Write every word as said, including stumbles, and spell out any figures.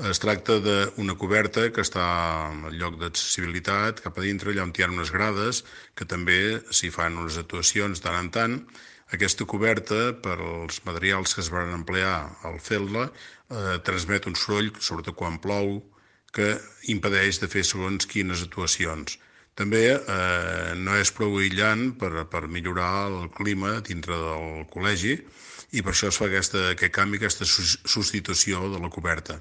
Es tracta d'una coberta que està al lloc d'accessibilitat cap a dintre, allà on hi ha unes grades, que també s'hi fan unes actuacions tant en tant. Aquesta coberta, per als materials que es van emplear al fer-la, eh, transmet un soroll, sobretot quan plou, que impedeix de fer segons quines actuacions. També eh, no és prou aïllant per, per millorar el clima dintre del col·legi, i per això es fa aquesta, aquest canvi, aquesta substitució de la coberta.